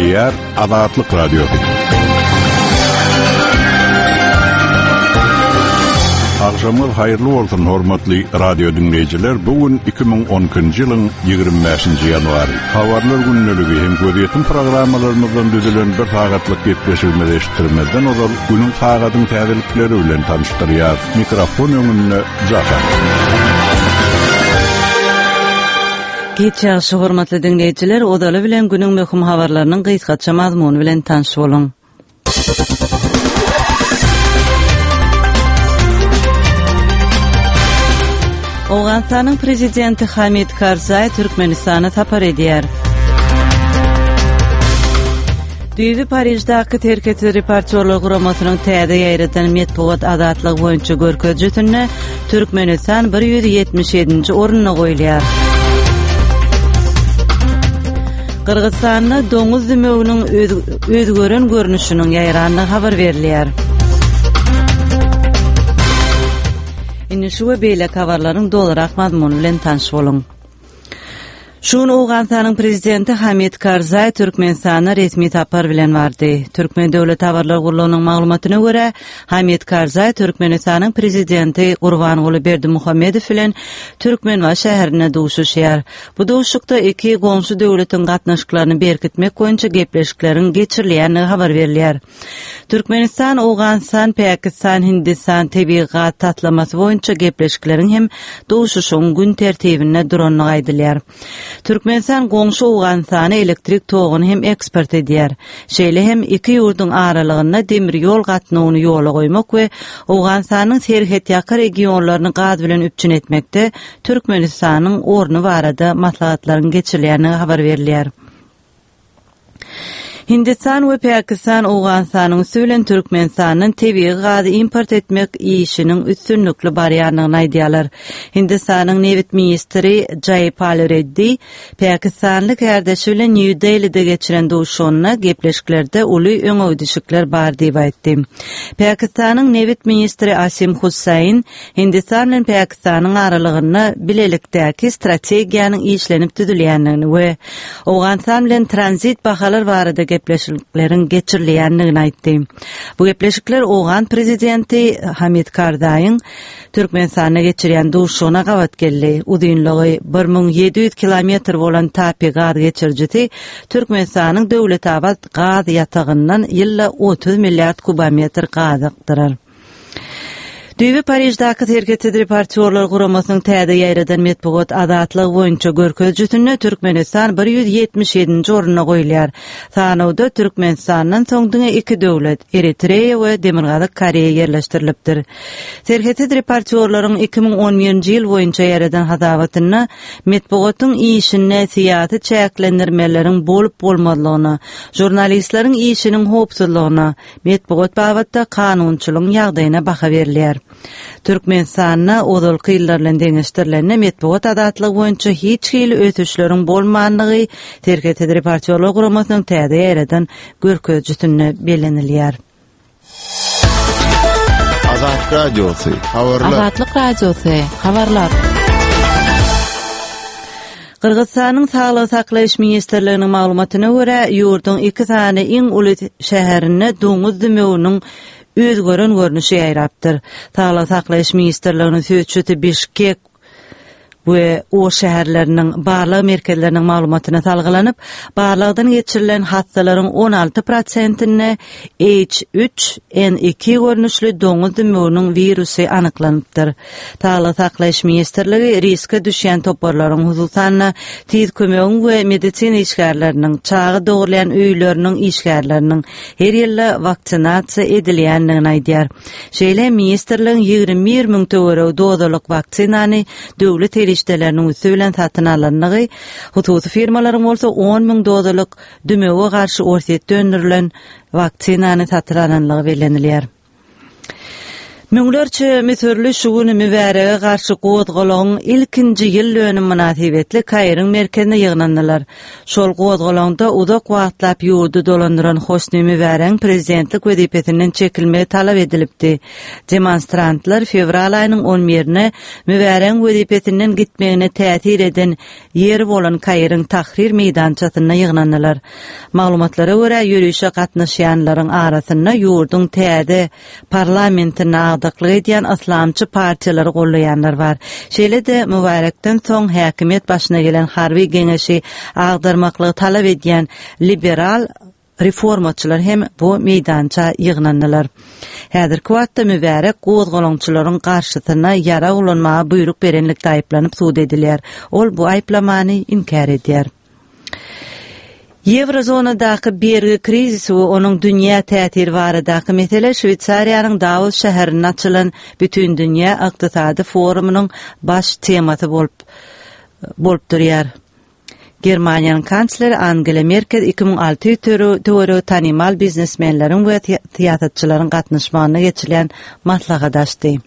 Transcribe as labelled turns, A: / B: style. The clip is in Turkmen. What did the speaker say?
A: Gepleýär Azatlyk Radiosy. Agşamyňyz haýyrly bolsun, hormatly radio diňleýjiler! Bu gün 2012-nji ýylyň 25-nji ýanwary. Habarlar gündeligi hem gözýetim programmalarymyzdan düzülen bir sagatlyk gepleşigimizi eşitdirmezden ozal, günüň sagadyň täzelikleri bilen tanyşdyrýarys. Mikrofon öňünde Jahan.
B: Giç ýagşy hormatly diňleýjiler, ozaly bilen günüň möhüm habarlarynyň gysgaça mazmuny bilen tanyş boluň. Owganystanyň prezidenti Hamid Karzaý Türkmenistana sapar edýär. Düýbi Pariždaky Serhetsiz reportýorlar guramasynyň täze ýaýradan metbugat azatlygy boýunça görkezijisinde Türkmenistan 177-nji orunda goýulýar. Gyrgyzystanda doňuz dümewiniň özgeren görnüşiniň ýaýrandygy habar berilýär. Indi şu we beýleki habarlaryň dolurak mazmuny bilen tanyş boluň. Şu gün Owganystanyň Prezidenti Hamid Karzaý Türkmenistana resmi sapar bilen bardy. Türkmen döwlet habarlar gullugynyň maglumatyna görä, Hamid Karzaý Türkmenistanyň Prezidenti Gurbanguly Berdimuhamedow bilen Türkmenbaşy şäherinde duşuşýar. Bu duşuşykda iki goňşy döwletiň gatnaşyklaryny berkitmek boýunça gepleşikleriň geçirilýändigi habar berilýär. Türkmenistan, Owganystan, Pakistan, Hindistan tebigy gaz taslamasy boýunça gepleşikleriň hem duşuşygyň gün tertibinde durandygy aýdylýar. Türkmenistan goňşy Owganystana elektrik toguny hem eksport edýär. Şeýle hem iki ýurduň aralygynda demir ýol gatnawyny ýola goýmak we Owganystanyň serhetýaka regionlaryny gaz bilen üpjün etmekde Türkmenistanyň orny barada maslahatlaryň geçirilýändigi habar berilýär. Hindistan we Pakistan Owganystanyň üsti bilen Türkmenistandan tebigy gazy import etmek işiniň üstünlikli barýandygyny aýdýarlar. Hindistanyň nebit ministri Jaýpal Reddi pakistanly kärdeşi bilen Nýu-Delide geçiren duşuşygynda gepleşiklerde uly öňegidişikler bar diýip aýtdy. Pakistanyň nebit ministri Asim Hussain Hindistan bilen Pakistanyň aralygynda bilelikdäki strategiýanyň işlenip düzülýändigini we Owganystan bilen tranzit bahalar barada gepleşikleriň geçirilýändigini aýtdy. Bu gepleşikler owgan prezidenti Hamid Karzaýyň Türkmenistanda geçirýän duşuşygyna gabat geldi. Uzynlygy 1700 kilometr bolan TAPI gaz geçirijisi Türkmenistanyň Döwletabat gaz ýatagyndan ýylda 30 milliard kubometr gaz akdyrar. Düýbi Pariždaky Serhetsiz reportýorlar guramasynyň täze ýaýradan metbugat azatlygy boýunça görkezijisinde Türkmenistan 177-nji orunda goýulýar. Sanawda Türkmenistandan soň diňe iki döwlet, Eritreýa we Demirgazyk Koreýa ýerleşdirilipdir. Serhetsiz reportýorlaryň 2011-nji ýyl boýunça ýaýradan hasabatynda metbugatyň işinde syýasy çäklendirmeleriň bolup-bolmazlygyna, žurnalistleriň işiniň howpsuzlygyna, Metbugat babatda kanunçylygyň ýagdaýyna baha berilýär. Türkmenistanda ozalky ýyllar bilen deňeşdirilende metbugat azatlygy boýunça hiç hili ösüşleriň bolmandygy Serhetsiz reportýorlar guramasynyň täze ýaýradan görkezijisinde bellenilýär.
C: Azatlyk Radiosy, habarlar.
D: Azatlyk Radiosy, habarlar.
B: Gyrgyzystanyň Saglygy saklaýyş ministrliginiň maglumatyna görä, ýurduň iki sany iň uly şäherinde doňuz dümewiniň özgeren görnüşi ýaýrapdyr. Saglygy saklaýyş ministrliginiň sözçüsi Bişkek we Oş şäherleriniň barlag merkezleriniň maglumatyna salgylanyp, barlagdan geçirilen hassalaryň 16 prosentinde H3N2 görnüşli doňuz dümewiniň wirusy anyklanypdyr. Saglygy saklaýyş ministrligi riske düşýän toparlaryň, hususan-da, tiz kömegiň we medisina işgärleriniň, çaga dogrulýan öýleriniň işgärleriniň her ýylda waksinasiýa edilýändigini aýdýar. Şeýle hem ministrligiň 21 müň töweregi dozalyk waksinany döwlet serişdeleriniň üsti bilen satyn alandygy, hususy firmalaryň bolsa on müň dozalyk dümewe garşy Orsýetde öndürilen waksinany satyn alandygy bellenilýär. Müňlerçe müsürli şu gün Mübärege garşy gozgalaňyň ilkinji ýyl dönümi mynasybetli Kairiň merkezine ýygnandylar. Şol gozgalaňda uzak wagtlap ýurdy dolandyran Hosni Mübäregiň prezidentlik wezipesinden çekilmegi talap edilipdi. Demonstrantlar fewral aýynyň on birine Mübäregiň wezipesinden gitmegine täsir eden ýeri bolan Kairiň Tahrir meýdançasynda ýygnandylar. Maglumatlara görä, ýörişe gatnaşýanlaryň arasynda ýurduň täze Parlamentinde agdyklyk edýän yslamçy partiýalary gollaýanlar bar. Şeýle-de, Mübarekden soň häkimiýet başyna gelen harby geňeşi agdarmaklygy talap edýän liberal reformaçylar hem bu meýdança ýygnandylar. Häzirki wagtda Mübärek gozgalaňçylaryň garşysyna ýarag ulanmaga buýruk berenlikde aýyplanyp sud edilýär. Ol bu aýyplamany inkär edýär. Ýewrozonadaky bergi krizisi we onuň dünýä täsiri baradaky mesele Şweýsariýanyň Dawos şäherinde açylan Bütindünýä ykdysady forumynyň baş temasy bolup bolup durýar. Germaniýanyň kansleri Angela Merkel 2600 töweregi tanymal biznesmenleriň we syýasatçylaryň gatnaşmagynda geçirilen maslahaty açdy.